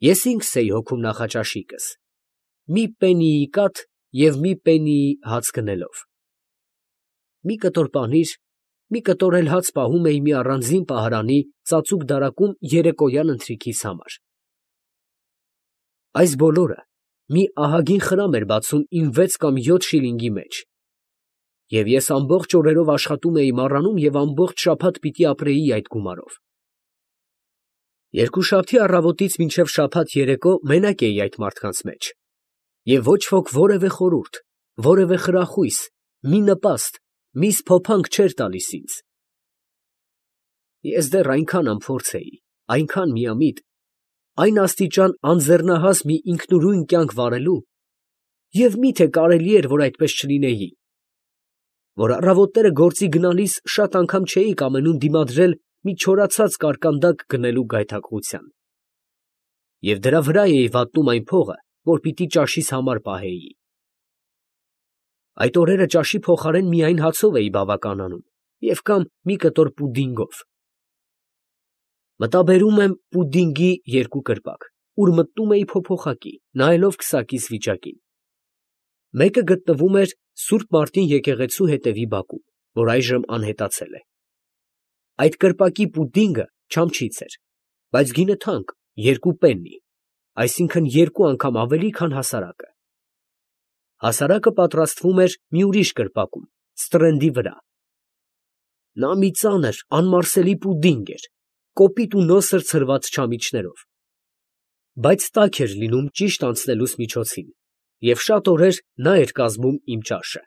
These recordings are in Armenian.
Ես ինքս էի հոգում նախաճաշիկս, մի պեննիի կաթ և մի պեննիի հաց գնելով. մի կտոր պանիր, մի կտոր էլ հաց պահում էի մի առանձին պահարանի ծածուկ դարակում երեկոյան ընթրիքիս համար։ Այս բոլորը մի ահագին խրամ էր բացում իմ 6 կամ 7 շիլինգի մեջ, և ես ամբողջ օրերով աշխատում էի մառանում և ամբողջ շաբաթ պիտի ապրեի այդ գումարով։ Երկուշաբթի առավոտից մինչև շաբաթ երեկո մենակ էի այդ մարդկանց մեջ, և ոչ ոք որևէ խորհուրդ, որևէ խրախույս, մի նպաստ, մի սփոփանք չէր տալիս ինձ։ Ես դեռ այնքան անփորձ էի, այնքան միամիտ, այն աստիճան անձեռնահաս մի ինքնուրույն կյանք վարելու, և մի՞թե կարելի էր, որ այդպես չլինեի, որ առավոտները գործի գնալիս շատ անգամ չէի կամենում դիմադրել մի չորացած կարկանդակ գնելու գայթակղության, և դրա վրա էի վատնում այն փողը, որ պիտի ճաշիս համար պահեի։ Այդ օրերը ճաշի փոխարեն միայն հացով էի բավականանում և կամ մի կտոր պուդինգով։ Մտաբերում եմ պուդինգի 2 կրպակ, ուր մտնում էի փոփոխակի, նայելով քսակիս վիճակին։ Մեկը գտնվում էր Սուրբ Մարտին եկեղեցու հետևի բակում, որ այժմ անհետացել է։ Այդ կրպակի պուդինգը չամչից էր, բայց գինը թանկ, 2 պեննի, այսինքն 2 անգամ ավելի, քան հասարակը։ Հասարակը պատրաստվում էր մի ուրիշ կրպակում, սթրենդի վրա։ Նա մի ծանր, անմարսելի պուդինգ էր, կոպիտ ու նոսր ցրված չամիչներով, բայց տաք էր լինում ճիշտ անցնելուս միջոցին, և շատ օրեր նա էր կազմում իմ ճաշը։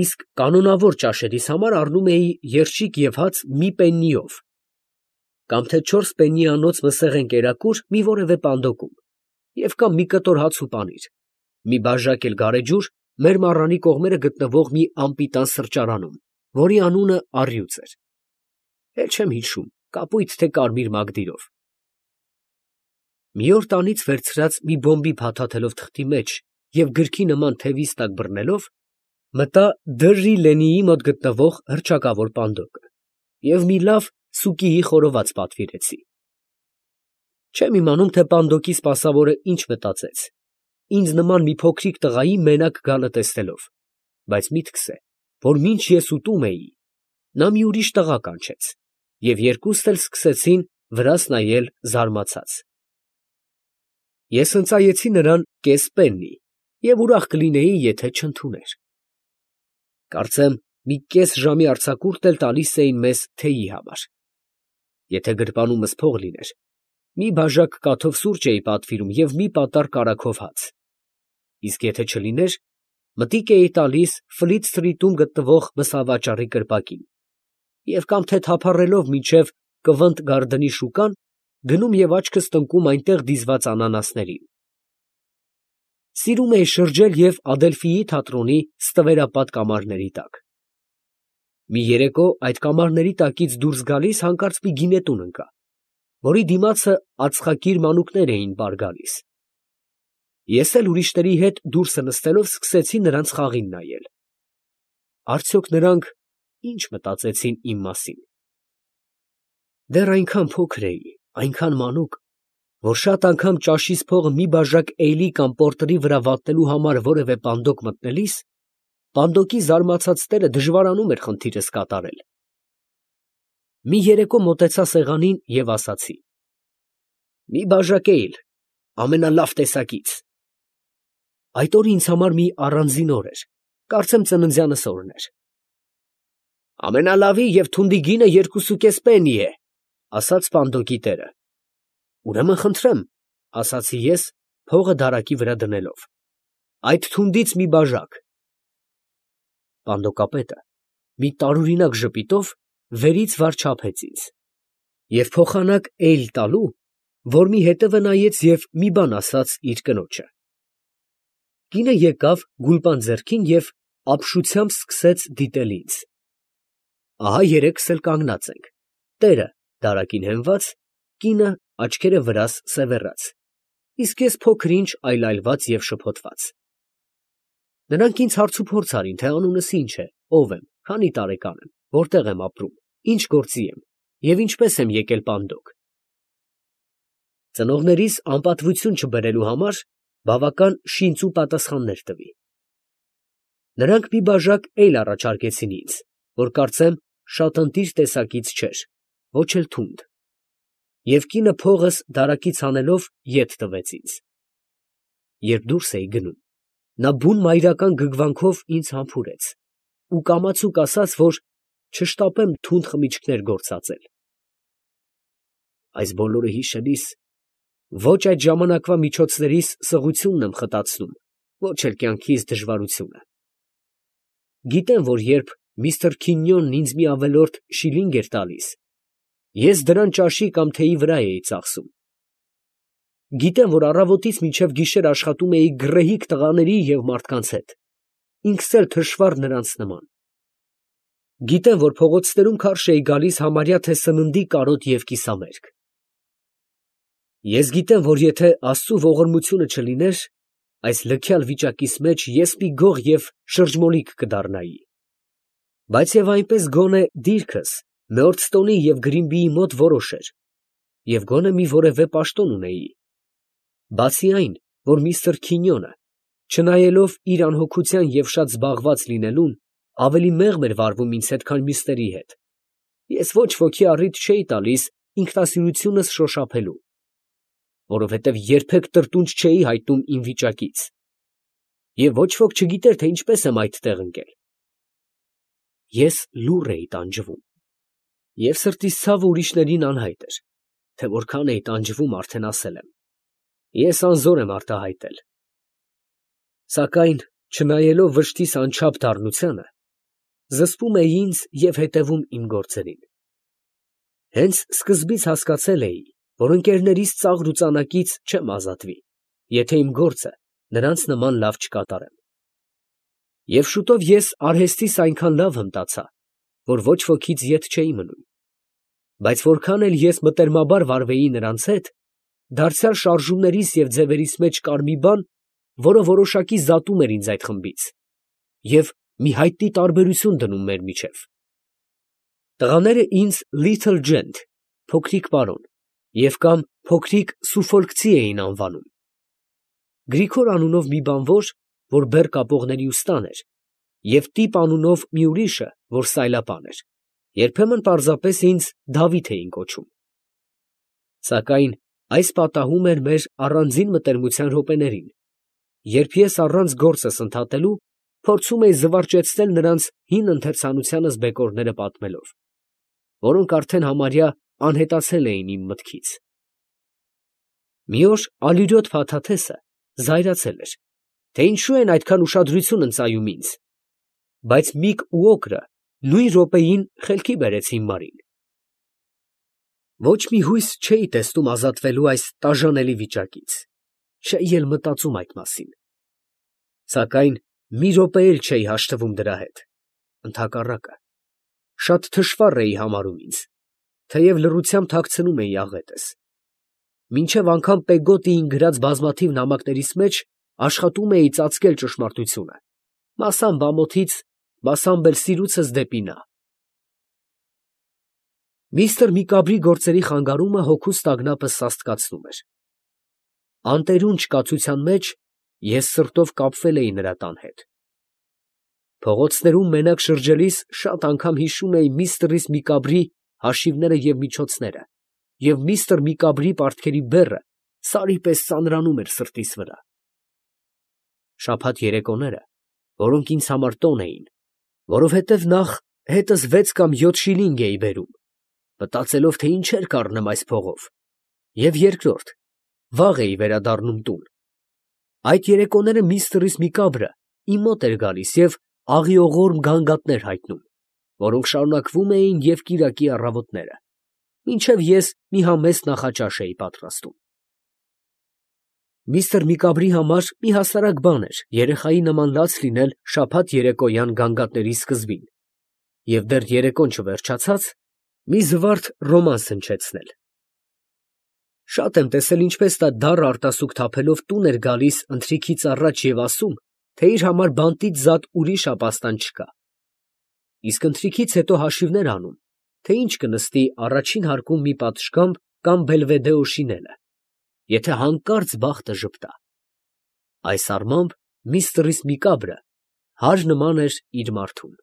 Իսկ կանոնավոր ճաշերիս համար առնում էի երշիկ և հաց մի պեննիով, կամ թե 4 պեննիանոց մսեղեն կերակուր մի որևէ պանդոկում, և կամ մի կտոր հաց ու պանիր, մի բաժակ էլ գարեջուր մեր մառանի կողմերը գտնվող մի անպիտան սրճարանում, որի անունը Առյուծ էր, էլ չեմ հիշում կապույտ թե կարմիր մագդիրով։ Մի օր տանից վերցրած մի բոմբի փաթաթելով թղթի մեջ և գրքի նման թևիս տակ բռնելով, մտա Դրրի Լենիի մոտ գտնվող հռչակավոր պանդոկը և մի լավ սուկիի խորոված պատվիրեցի։ Չեմ իմանում, թե պանդոկի սպասավորը ինչ մտածեց, ինձ նման մի փոքրիկ տղայի մենակ գալը տեսնելով, բայց միտքս է, որ մինչ ես ուտում էի, նա մի ուրիշ տղա կանչեց, և երկուստ էլ սկսեցին վրաս նայել զարմացած։ Ես ընծայեցի նրան կես պեննի և ուրախ կլինեի, եթե չընդուներ։ Կարծեմ մի կես ժամի արձակուրդ էլ տալիս էին մեզ թեյի համար։ Եթե գրպանումս փող լիներ, մի բաժակ կաթով սուրճ էի պատվիրում և մի պատառ կարագով հաց, իսկ եթե չլիներ, մտիկ էի տալիս Ֆլիթ սթրիթում գտնվող մսավաճառի կրպակին և կամ թե թափառելով մինչև Կվընթ Գարդնի շուկան, գնում և աչքս տնկում այնտեղ դիզված անանասներին։ Սիրում էի շրջել և Ադելֆիի թատրոնի ստվերապատ կամարների տակ։ Մի երեկո այդ կամարների տակից դուրս գալիս հանկարծ մի գինետուն ընկա, որի դիմացը ածխակիր մանուկներ էին պար գալիս։ Ես էլ ուրիշների հետ դուրսը նստելով սկսեցի նրանց խաղին նայել։ Արդյոք նրանք ի՞նչ մտածեցին իմ մասին։ Դեռ այնքան փոքր էի, այնքան մանուկ, որ շատ անգամ ճաշիս փողը մի բաժակ էյլի կամ պորտերի վրա վատնելու համար որևէ պանդոկ մտնելիս, պանդոկի զարմացած տերը դժվարանում էր խնդիրս կատարել։ Մի երեկո մոտեցա սեղանին և ասացի. «Մի բաժակ էյլ, ամենալավ տեսակից»։ Այդ օրը ինձ համար մի առանձին օր էր, կարծեմ ծննդյանս օրն էր։ «Ամենալավի և թունդի գինը 2.5 պեննի է», ասաց պանդոկի տերը։ «Ուրեմն խնդրեմ», ասացի ես, փողը դարակի վրա դնելով, «այդ թունդից մի բաժակ»։ Պանդոկապետը մի տարօրինակ ժպիտով վերից վար չափեց ինձ և փոխանակ էյլ տալու, որ մի հետևը նայեց և մի բան ասաց իր կնոջը։ Կինը եկավ գուլպան ձեռքին և ապշությամբ սկսեց դիտել ինձ։ Ահա երեքս էլ կանգնած ենք, տերը դարակին հենված, կինը աչքերը վրաս սևեռած, իսկ ես փոքր֊ինչ այլայլված և շփոթված։ Նրանք ինձ հարցուփորձ արին, թե անունս ինչ է, ով եմ, քանի տարեկան եմ, որտեղ եմ ապրում, ինչ գործի եմ և ինչպես եմ եկել պանդոկ։ Ծնողներիս անպատվություն չբերելու համար բավական շինծու պատասխաններ տվի։ Նրանք մի բաժակ էյլ առաջարկեցին ինձ, որ կարծեմ շատ ընտիր տեսակից չէր, ոչ էլ թունդ, և կինը փողս դարակից հանելով ետ տվեց ինձ։ Երբ դուրս էի գնում, նա բուն մայրական գգվանքով ինձ համբուրեց ու կամացուկ ասաց, որ չշտապեմ թունդ խմիչքներ գործածել։ Այս բոլորը հիշելիս ոչ այդ ժամանակվա միջոցներիս սղությունն եմ խտացնում, ոչ էլ կյանքիս դժվարությունը։ Գիտեմ, որ երբ միստր Քինյոնն ինձ մի ավելորդ շիլինգ էր տալիս, ես դրան ճաշի կամ թեյի վրա էի ծախսում։ Գիտեմ, որ առավոտից մինչև գիշեր աշխատում էի գռեհիկ տղաների և մարդկանց հետ, ինքս էլ թշվառ նրանց նման։ Գիտեմ, որ փողոցներում քարշ էի գալիս համարյա թե սննդի կարոտ և կիսամերկ։ Ես գիտեմ, որ եթե Աստծու ողորմությունը չլիներ, այս լքյալ վիճակիս մեջ ես մի գող և շրջմոլիկ կդառնայի։ Բայց և այնպես գոնե դիրքս Մեորդստոնի և Գրինբիի մոտ որոշ էր, և գոնե մի որևէ պաշտոն ունեի։ Բացի այն, որ միստր Քինյոնը, չնայելով իր անհոգության և շատ զբաղված լինելուն, ավելի մեղմ էր վարվում ինձ հետ, քան մյուսների հետ, ես ոչ ոքի առիթ չէի տալիս ինքնասիրությունս շոշափելու, որովհետև երբեք տրտունջ չէի հայտնում իմ վիճակից, և ոչ ոք չգիտեր, թե ինչպես եմ այդտեղ ընկել։ Ես լուռ էի տանջվում, և սրտիս ցավը ուրիշներին անհայտ էր, թե որքան էի տանջվում արդեն ասել եմ, ես անզոր եմ արտահայտել։ Սակայն, չնայելով վշտիս անչափ դառնությանը, զսպում էի ինձ և հետևում իմ գործերին։ Հենց սկզբից հասկացել էի, որ ընկերներիս ծաղր ու ծանակից չեմ ազատվի, եթե իմ գործը նրանց նման լավ չկատարեմ։ Եվ շուտով ես արհեստիս այնքան լավ հմտացա, որ ոչ ոքից ետ չէի մնում։ Բայց որքան էլ ես մտերմաբար վարվեի նրանց հետ, դարձյալ շարժումներիս և ձևերիս մեջ կար մի բան, որը որոշակի զատում էր ինձ այդ խմբից և մի հայտնի տարբերություն դնում մեր միջև։ Տղաները ինձ Little Gent (փոքրիկ պարոն) և կամ փոքրիկ սուֆոլկցի էին անվանում։ Գրիգոր անունով մի բանվոր, որ բեռ կապողների ուստան էր, և Տիպ անունով մի ուրիշը, որ սայլապան էր, երբեմն պարզապես ինձ Դավիթ էին կոչում։ Սակայն այս պատահում էր մեր առանձին մտերմության րոպեներին, երբ ես առանց գործս ընդհատելու փորձում էի զվարճեցնել նրանց հին ընթերցանությանս բեկորները պատմելով, որոնք արդեն համարյա անհետացել էին իմ մտքից։ Մի օր ալյուրյոթ փաթաթեսը զայրացել էր, թե ինչու են այդքան ուշադրություն ընծայում ինձ, բայց Միկ ու Օգրը նույն րոպեին խելքի բերեցին Մարին։ Ոչ մի հույս չէի տեսնում ազատվելու այս տաժանելի վիճակից, չէի էլ մտածում այդ մասին։ Սակայն մի րոպե էլ չէի հաշտվում դրա հետ, ընդհակառակը, շատ թշվառ էի համարում ինձ, թեև լռությամբ թաքցնում էի աղետս։ Մինչև անգամ Պեգոտիին գրած բազմաթիվ նամակներիս մեջ աշխատում էի ծածկել ճշմարտությունը, մասամբ ամոթից, մասամբ էլ սիրուցս դեպի նա։ Միստր Միկաբրի գործերի խանգարումը հոգուս տագնապը սաստկացնում էր։ Անտերուն չկացության մեջ ես սրտով կապվել էի նրա տան հետ։ Փողոցներում մենակ շրջելիս շատ անգամ հիշում էի միստր Միկաբրի հաշիվները և միջոցները, և միստր Միկաբրի պարտքերի բեռը սարի պես ծանրանում էր սրտիս վրա։ Շաբաթ երեկոները, որոնք ինձ համար տոն էին, որովհետև նախ հետս 6 կամ 7 շիլինգ էի բերում, մտածելով, թե ինչեր կառնեմ այս փողով, և երկրորդ, վաղ էի վերադառնում տուն։ Այդ երեկոները միստր Միկաբրը իմ մոտ էր գալիս և աղիողորմ գանգատներ հայտնում, որոնք շարունակվում էին և կիրակի առավոտները, մինչև ես մի համեստ նախաճաշ էի պատրաստում։ Միստր Միկաբրի համար մի հասարակ բան էր երեխայի նման լաց լինել շաբաթ երեկոյան գանգատների սկզբին և դեռ երեկոն չվերջացած, մի զվարթ ռոմանս հնչեցնել։ Շատ եմ տեսել, ինչպես նա դառը արտասուք թափելով տուն էր գալիս ընթրիքից առաջ և ասում, թե իր համար բանտից զատ ուրիշ ապաստան չկա, իսկ ընթրիքից հետո հաշիվներ անում, թե ինչ կնստի առաջին հարկում մի պատշգամբ կամ բելվեդե օշինելը, եթե հանկարծ բախտը ժպտա։ Այս առմամբ միստր Միկաբրը հար նման էր իր մարդուն։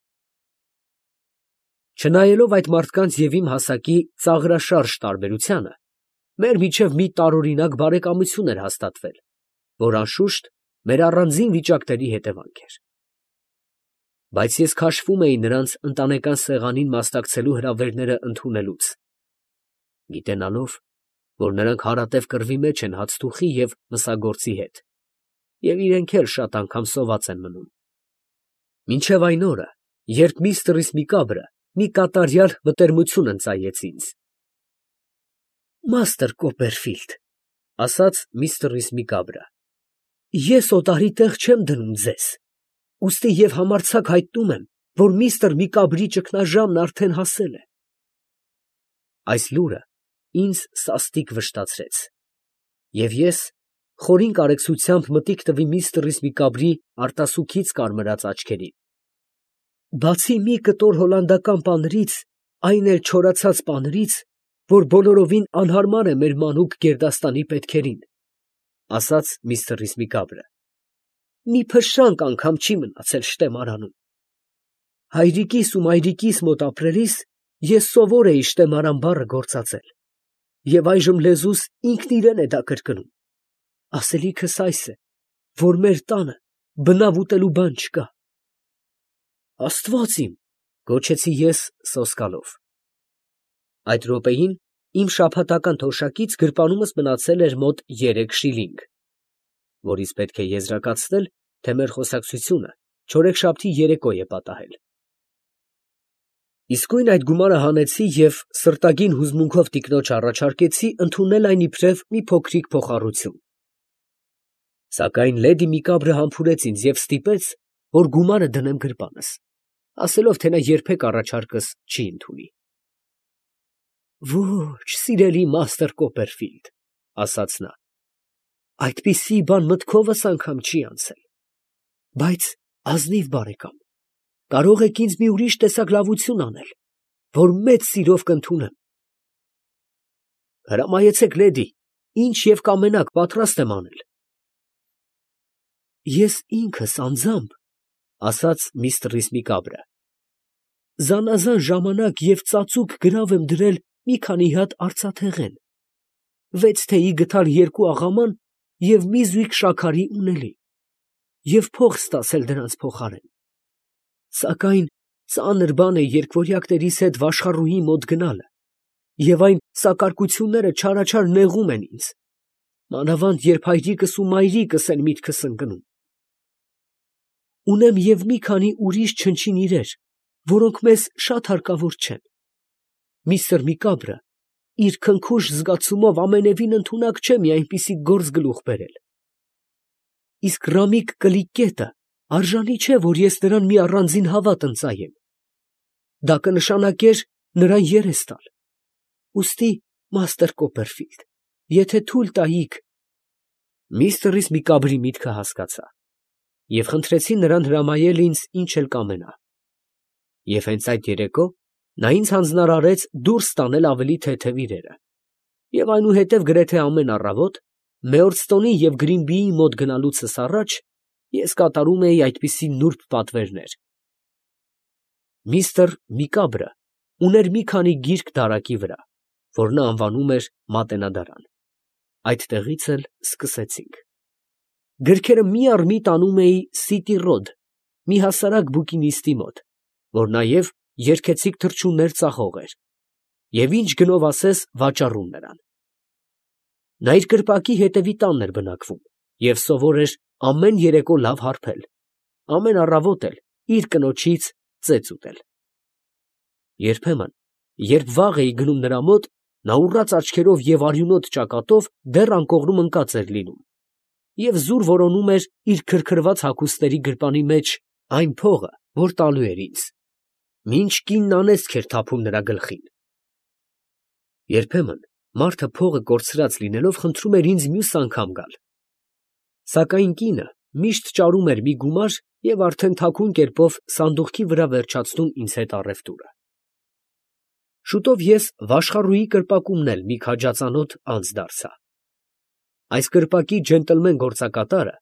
Չնայելով այդ մարդկանց և իմ հասակի ծաղրաշարժ տարբերությանը, մեր միջև մի տարօրինակ բարեկամություն էր հաստատվել, որ անշուշտ մեր առանձին վիճակների հետևանք էր։ Բայց ես քաշվում էի նրանց ընտանեկան սեղանին մասնակցելու հրավերները ընդունելուց, գիտենալով, որ նրանք հարատև կռվի մեջ են հացթուխի և մսագործի հետ, և իրենք էլ շատ անգամ սոված են մնում։ Մինչև այն օրը, երբ միստր Միկաբրը մի կատարյալ մտերմություն ընծայեց ինձ։ «Մաստր Կոպերֆիլդ, ֊ ասաց միստր Միկաբրը, ֊ ես օտարի տեղ չեմ դնում ձեզ, ուստի և համարձակ հայտնում եմ, որ միստր Միկաբրի ճգնաժամն արդեն հասել է»։ Այս լուրը ինձ սաստիկ վշտացրեց, և ես խորին կարեկցությամբ մտիկ տվի միստր Միկաբրի արտասուքից կարմրած աչքերին։ «Բացի մի կտոր հոլանդական պանրից, այն էլ չորացած պանրից, որ բոլորովին անհարմար է մեր մանուկ գերդաստանի պետքերին, ֊ ասաց միստր Միկաբրը, ֊ մի փշրանք անգամ չի մնացել շտեմարանում։ Հայրիկիս ու մայրիկիս մոտ ապրելիս ես սովոր էի շտեմարան բառը գործածել, և այժմ լեզուս ինքն իրան է դա կրկնում։ Ասելիքս այս է, որ մեր տանը բնավ ուտելու բան չկա։ Աստված իմ, ֊ գոչեցի ես սոսկալով։ Այդ րոպեին իմ շաբաթական թոշակից գրպանումս մնացել էր մոտ 3 շիլինգ, որից պետք է եզրակացնել, թե մեր խոսակցությունը չորեքշաբթի երեկո է պատահել։ Իսկույն այդ գումարը հանեցի և սրտագին հուզմունքով տիկնոջ առաջարկեցի ընդունել այն իբրև մի փոքրիկ փոխառություն։ Սակայն լեդի Միկաբրը համբուրեց ինձ և ստիպեց, որ գումարը դնեմ գրպանս, ասելով, թե նա երբեք առաջարկս չի ընդունի։ «Ո՛չ, սիրելի մաստր Կոպերֆիլդ, ֊ ասաց նա, ֊ այդպիսի բան մտքովս անգամ չի անցել, բայց, ազնիվ բարեկամ, կարող եք ինձ մի ուրիշ տեսակ լավություն անել, որ մեծ սիրով կընդունեմ»։ «Հրամայեցեք, լեդի, ինչ և կամենաք, պատրաստ եմ անել»։ «Ես ինքս անձամբ, ֊ ասաց միստր Միկաբրը, ֊ զանազան ժամանակ և ծածուկ գրավ եմ դրել մի քանի հատ արծաթեղեն, 6 թեյի գդալ 2 աղաման և մի զույգ շաքարի ունելի, և փող ստացել դրանց փոխարեն։ Սակայն ծանր բան է երկվորյակներիս հետ վաշխառուհի մոտ գնալը, և այն սակարկությունները չարաչար նեղում են ինձ, մանավանդ երբ հայրիկս ու մայրիկս են միտքս ընկնում։ Ունեմ և մի քանի ուրիշ չնչին իրեր, որոնք մեզ շատ հարկավոր չեն։ Միստր Միկաբրը իր քնքուշ զգացումով ամենևին ընդունակ չէ մի այնպիսի գործ գլուխ բերել։ Իսկ Ռամիկ Կլիկկետը արժանի չէ, որ ես նրան մի առանձին հավատ ընծայեմ. դա կնշանակեր նրան երես տալ։ Ուստի, մաստր Կոպերֆիլդ, եթե թույլ տայիք… Միստր Միկաբրի միտքը հասկացա և խնդրեցի նրան հրամայել ինձ ինչ էլ կամենա։ Եվ հենց այդ երեկո նա ինձ հանձնարարեց դուրս տանել ավելի թեթև իրերը, և այնուհետև գրեթե ամեն առավոտ Մեյորստոնի և Գրինբիի մոտ գնալուցս առաջ ես կատարում էի այդպիսի նուրբ պատվերներ։ Միստր Միկաբրը ուներ մի քանի գիրք դարակի վրա, որ նա անվանում էր Մատենադարան։ Այդտեղից էլ սկսեցինք։ Գրքերը մի առ մի տանում էի Սիտի Ռոդ, մի հասարակ բուկինիստի մոտ, որ նաև երգեցիկ թռչուններ ծախող էր, և ինչ գնով ասես վաճառում նրան։ Նա իր կրպակի հետևի տանն էր բնակվում և սովոր էր ամեն երեկո լավ հարբել, ամեն առավոտ էլ իր կնոջից ծեծ ուտել։ Երբեմն, երբ վաղ էի գնում նրա մոտ, նա ուռած աչքերով և արյունոտ ճակատով դեռ անկողնում ընկած էր լինում և զուր որոնում էր իր քրքրված հագուստների գրպանի մեջ այն փողը, որ տալու էր ինձ, մինչ կինն անեծք էր թափում նրա գլխին։ Երբեմն մարդը փողը կորցրած լինելով խնդրում էր ինձ մյուս անգամ գալ, սակայն կինը միշտ ճարում էր մի գումար և արդեն թաքուն կերպով սանդուղքի վրա վերջացնում ինձ հետ առևտուրը։ Շուտով ես վաշխառուի կրպակումն էլ մի քաջածանոթ անձ դարձա։ Այս կրպակի ջենտլմեն գործակատարը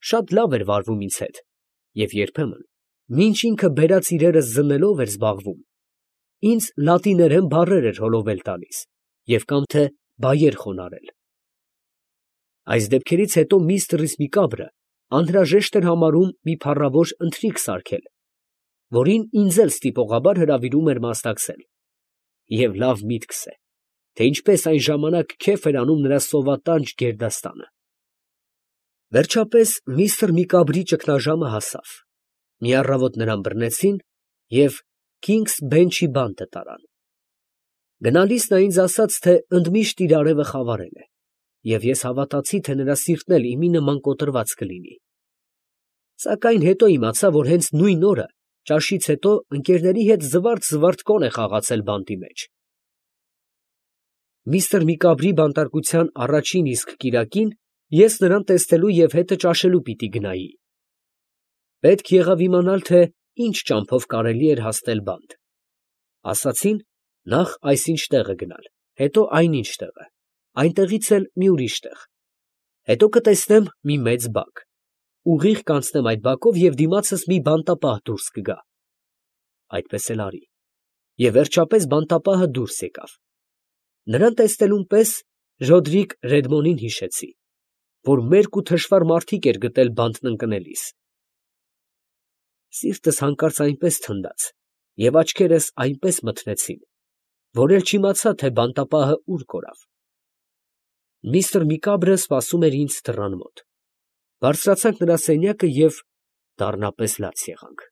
շատ լավ էր վարվում ինձ հետ և երբեմն, մինչ ինքը բերած իրերս զննելով էր զբաղվում, ինձ լատիներեն բառեր էր հոլովել տալիս և կամ թե բայեր խոնարհել։ Այս դեպքերից հետո միստր Միկաբրը անհրաժեշտ էր համարում մի փառավոր ընթրիք սարքել, որին ինձ էլ ստիպողաբար հրավիրում էր մասնակցել, և լավ միտքս է, թե ինչպես այն ժամանակ քեֆ էր անում նրա սովատանջ գերդաստանը։ Վերջապես միստր Միկաբրի ճգնաժամը հասավ, մի առավոտ նրան բռնեցին և Քինգս Բենչի բանտը տարան։ Գնալիս նա ինձ ասաց, թե ընդմիշտ իր արևը խավարել է, և ես հավատացի, թե նրա սիրտն էլ իմի նման կոտրված կլինի։ Սակայն հետո իմացա, որ հենց նույն օրը ճաշից հետո ընկերների հետ զվարթ֊զվարթ կոն է խաղացել բանտի մեջ։ Միստր Միկաբրի բանտարկության առաջին իսկ կիրակին ես նրան տեսնելու և հետը ճաշելու պիտի գնայի։ Պետք եղավ իմանալ, թե ինչ ճամփով կարելի էր հասնել բանտ։ Ասացին, նախ այսինչ տեղը գնալ, հետո այնինչ տեղը, այնտեղից էլ մի ուրիշ տեղ, հետո կտեսնեմ մի մեծ բակ, ուղիղ կանցնեմ այդ բակով և դիմացս մի բանտապահ դուրս կգա։ Այդպես էլ արի, և վերջապես բանտապահը դուրս եկավ։ Նրան տեսնելուն պես Ռոդրիկ Ռեդմոնին հիշեցի, որ մերկ ու թշվառ մարդիկ էր գտել բանտն ընկնելիս։ Սիրտս հանկարծ այնպես թնդաց և աչքերս այնպես մթնեցին, որ էլ չիմացա, թե բանտապահը ուր կորավ։ Միստր Միկաբրը սպասում էր ինձ դռան մոտ։ Բարձրացանք նրա սենյակը և դառնապես լաց եղանք։